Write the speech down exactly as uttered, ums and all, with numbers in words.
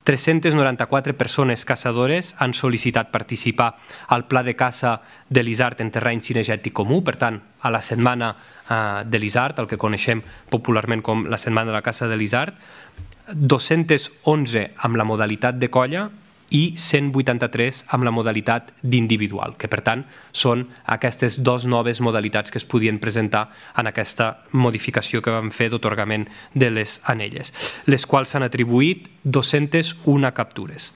tres-centes noranta-quatre persones caçadores han sol·licitat participar al pla de caça de l'Isard en terreny cinegètic comú, per tant, a la setmana de l'Isard, el que coneixem popularment com la setmana de la caça de l'Isard, dos-centes onze amb la modalitat de colla i cent vuitanta-tres amb la modalitat d'individual, que per tant són aquestes dues noves modalitats que es podien presentar en aquesta modificació que vam fer d'atorgament de les anelles, les quals s'han atribuït dos-centes una captures.